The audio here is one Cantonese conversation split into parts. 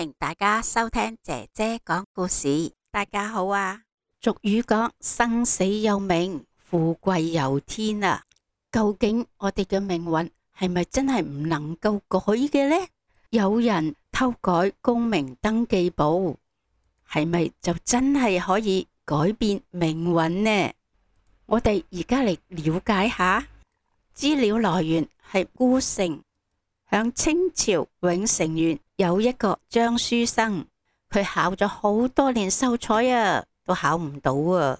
迎大家收聽姐姐講故事。大家好啊！俗語講生死有命，富貴有天啊！究竟我哋嘅命運係咪真係唔能夠改嘅呢？有人偷改功名登記簿，係咪就真係可以改變命運呢？我哋而家嚟了解下。資料來源係顧城。響清朝永城縣有一個張書生，佢考咗好多年秀才啊，都考唔到啊。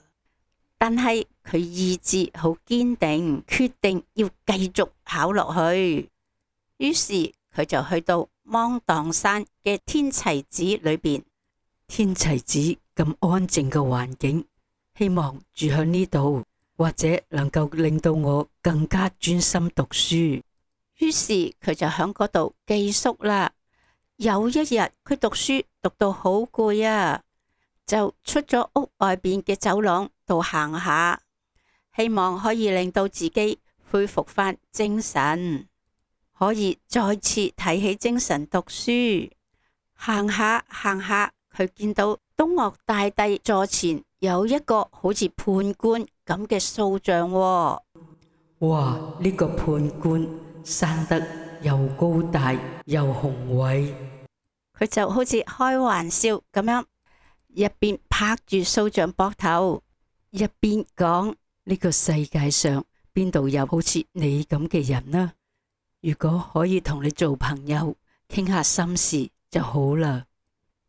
但係佢意志好堅定，決定要繼續考落去。於是佢就去到芒砀山嘅天齊寺裏邊。天齊寺咁安靜嘅環境，希望住喺呢度，或者能夠令到我更加專心讀書。於是佢就喺嗰度寄宿啦。有一日佢讀書讀到好攰啊，就出咗屋外邊嘅走廊度行下，希望可以令到自己恢復翻精神，可以再次提起精神讀書。行下行下，佢見到東嶽大帝座前有一個好似判官咁嘅塑像喎。哇！呢個判官生得又高大又雄偉，佢就好似開玩笑咁樣，一邊拍住塑像膊頭，一邊講：呢個世界上邊度有好似你咁嘅人呢？如果可以同你做朋友，傾下心事就好啦。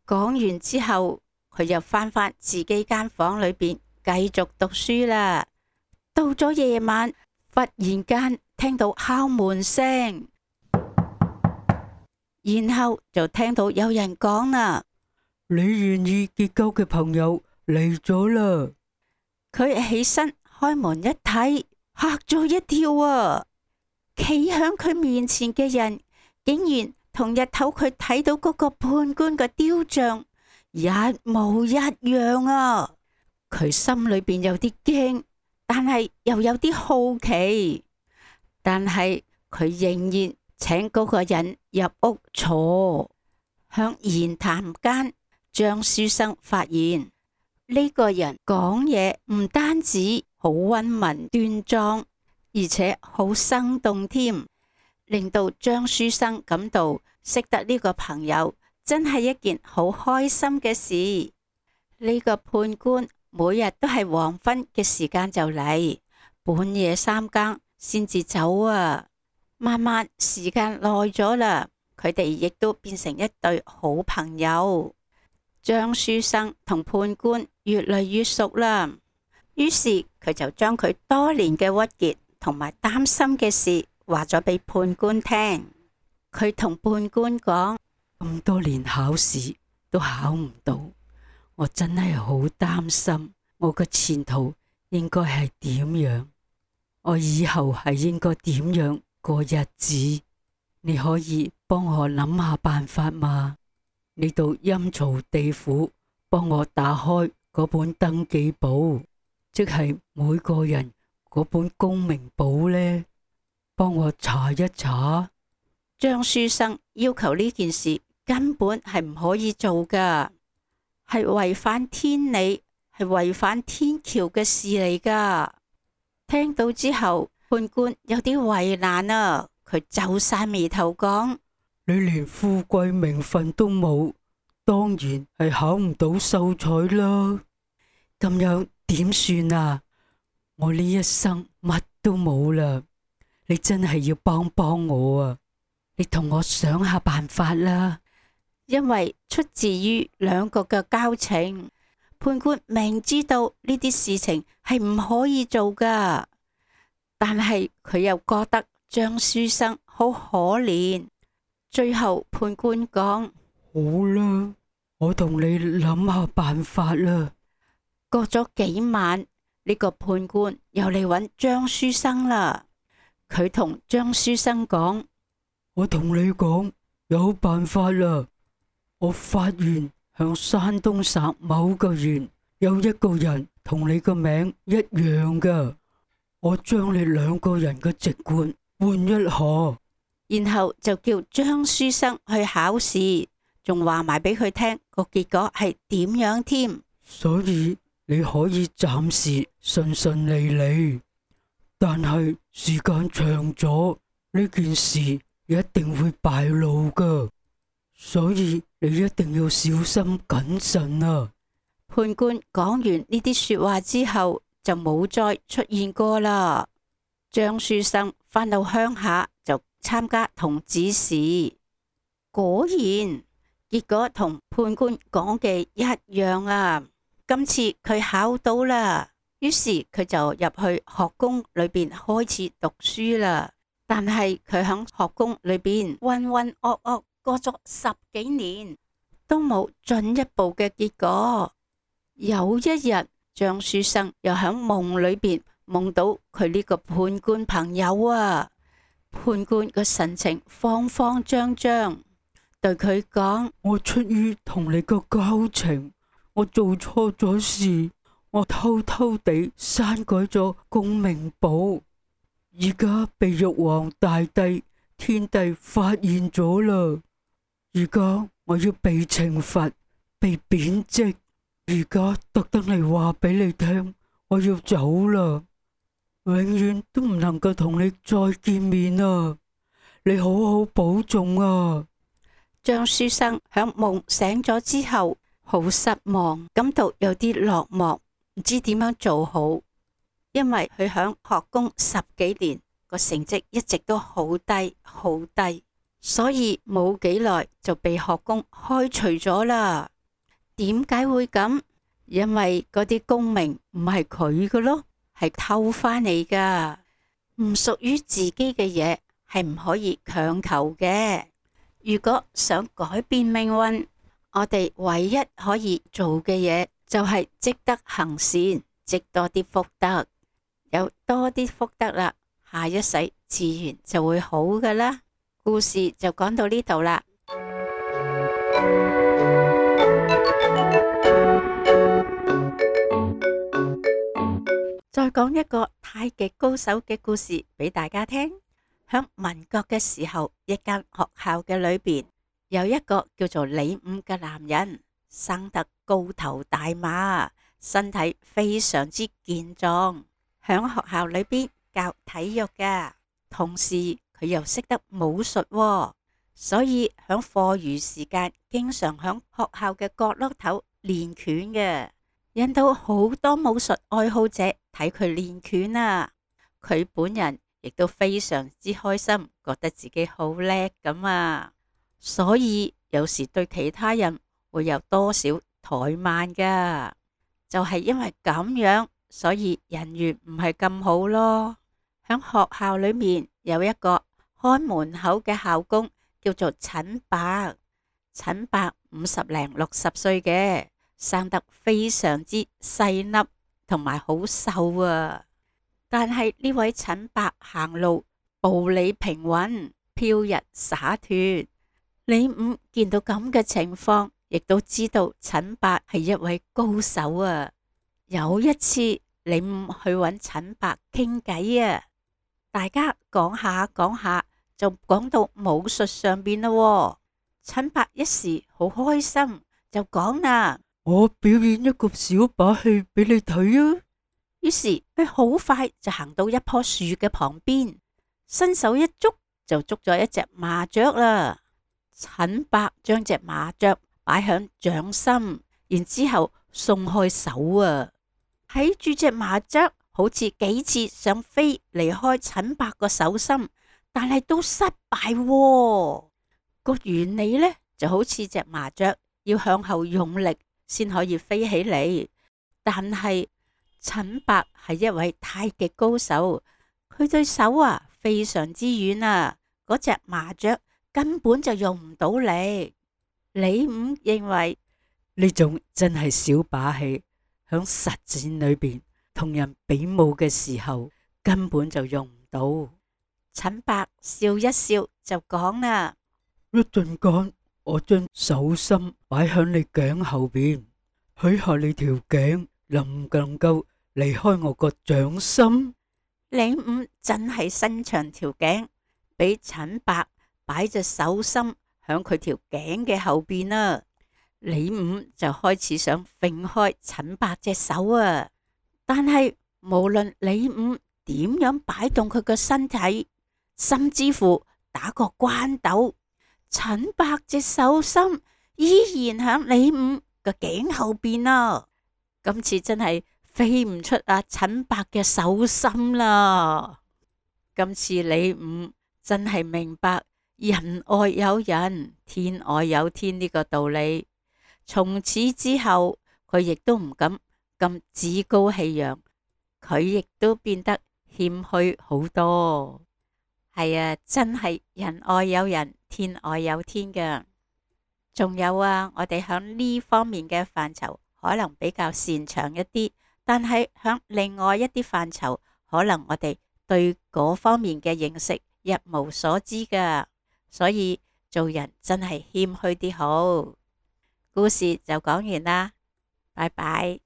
講完之後，佢又翻返自己間房裏邊繼續讀書啦。到咗夜晚，忽然間聽到敲門聲，然後就聽到有人講啦：你願意結交嘅朋友嚟咗啦。佢起身開門一睇，嚇咗一跳啊！企響佢面前嘅人，竟然同日頭佢睇到嗰個判官嘅雕像一模一樣啊！佢心裏邊有啲驚，但係又有啲好奇，但係佢仍然請嗰個人入屋坐。響言談間，張書生發現呢個人講嘢唔單止好溫文端莊，而且好生動添，令到張書生感到識得呢個朋友真係一件好開心嘅事。呢個判官每日都係黃昏嘅時間就嚟，半夜3更先至走啊。慢慢時間耐咗啦，佢哋亦都變成一對好朋友。張書生同判官越嚟越熟啦，於是佢就將佢多年嘅鬱結同埋擔心嘅事話咗俾判官聽。佢同判官講：咁多年考試都考唔到，我真係好擔心我嘅前途應該係點樣，我以後係應該點樣過日子？你可以幫我諗下辦法嘛？你到陰曹地府幫我打開嗰本登記簿，即係每個人嗰本功名簿呢，幫我查一查。張書生要求呢件事根本係唔可以做噶，係違反天理，係違反天橋嘅事嚟噶。聽到之後，判官有啲為難啊，佢皺晒眉頭講：你連富貴名分都冇，當然係考唔到秀才啦。咁樣點算啊？我呢一生乜都冇啦，你真係要幫幫我啊！你同我想下辦法啦。因為出自於兩個嘅交情，判官明知道呢啲事情係唔可以做噶，但係佢又覺得張書生好可憐。最後判官講：好啦，我同你諗下辦法啦。過咗幾晚，呢個判官又嚟揾張書生啦。佢同張書生講：我同你講，有辦法啦。我發現響山東省某個縣有一個人同你個名一樣噶，我將你兩個人嘅籍貫換一下，然後就叫張書生去考試，仲話埋俾佢聽個結果係點樣添。所以你可以暫時順順利利，但係時間長咗，呢件事一定會敗露噶，所以你一定要小心謹慎啊！判官講完呢啲說話之後，就冇再出現過啦。張書生返到鄉下就參加童子試，果然結果同判官講嘅一樣啊！今次佢考到啦，於是佢就入去學宮裏邊開始讀書啦。但係佢喺學宮裏邊渾渾噩噩過咗10幾年，都冇進一步嘅結果。有一日，張書生又喺夢裏邊夢到佢呢個判官朋友啊。判官個神情慌慌張張，對佢講：我出於同你個交情，我做錯咗事，我偷偷地刪改咗功名簿，而家被玉皇大帝、天帝發現咗啦。而家我要被懲罰、被貶職，而家特登嚟話俾你聽，我要走啦，永遠都唔能夠同你再見面啊！你好好保重啊！張書生響夢醒咗之後，好失望，感到有啲落寞，唔知點樣做好。因為佢響學宮10幾年，個成績一直都好低好低，所以冇幾耐就被學宮開除咗啦。點解會咁？因為嗰啲功名唔係佢嘅咯，係偷翻嚟噶，唔屬於自己嘅嘢係唔可以強求嘅。如果想改變命運，我哋唯一可以做嘅嘢就係積德行善，積多啲福德，有多啲福德啦，下一世自然就會好噶啦。故事就講到呢度啦。再講一個太極高手嘅故事俾大家聽。響民國嘅時候，一間學校嘅裏邊有一個叫做李五嘅男人，生得高頭大馬，身體非常之健壯，響學校裏邊教體育噶，同時佢又識得武術喎，所以響課餘時間經常響學校嘅角落頭練拳嘅，引到好多武術愛好者睇佢練拳啊。佢本人亦都非常之開心，覺得自己好叻咁啊，所以有時對其他人會有多少怠慢噶，就係因為咁樣，所以人緣唔係咁好咯。響學校裏面有一個看門口嘅校工叫做陳伯，陳伯50零60歲嘅，生得非常之細粒，同埋好瘦啊。但係呢位陳伯行路步履平穩，飄逸灑脫。李五見到咁嘅情況，亦都知道陳伯係一位高手啊。有一次，李五去揾陳伯傾偈啊，大家講下講下就講到武術上邊啦。陳伯一時好開心，就講啦：我表演一個小把戲俾你睇啊！於是佢好快就行到一棵樹嘅旁邊，伸手一捉就捉咗一隻麻雀啦。陳伯將隻麻雀擺響掌心，然之後鬆開手啊，睇住隻麻雀好似幾次想飛離開陳伯個手心，但係都失敗喎。個原理呢就好似隻麻雀要向後用力先可以飛起嚟，但係陳伯係一位太極高手，佢對手啊非常之軟啊，嗰隻麻雀根本就用唔到力。李五認為呢種真係小把戲，響實戰裏邊同人比武嘅時候根本就用唔到。陳伯笑一笑就講啦：一陣間我將手心擺響你頸後邊，許下你條頸能唔能夠離開我個掌心？李五真係伸長條頸，俾陳伯擺隻手心響佢條頸嘅後邊啦。李五就開始想揈開陳伯隻手啊，但係無論李五點樣擺動佢個身體，甚至乎打個關斗，陳伯隻手心依然響李五個頸後邊啊。今次真係飛唔出啊陳伯嘅手心啦。今次李五真係明白人外有人，天外有天呢個道理。從此之後，佢亦都唔敢咁趾高氣揚，佢亦都變得謙虛好多。係啊，真係人外有人，天外有天㗎。仲有啊，我哋響呢方面嘅範疇可能比較擅長一啲，但係響另外一啲範疇，可能我哋對嗰方面嘅認識一無所知㗎。所以做人真係謙虛啲好。故事就講完啦，拜拜。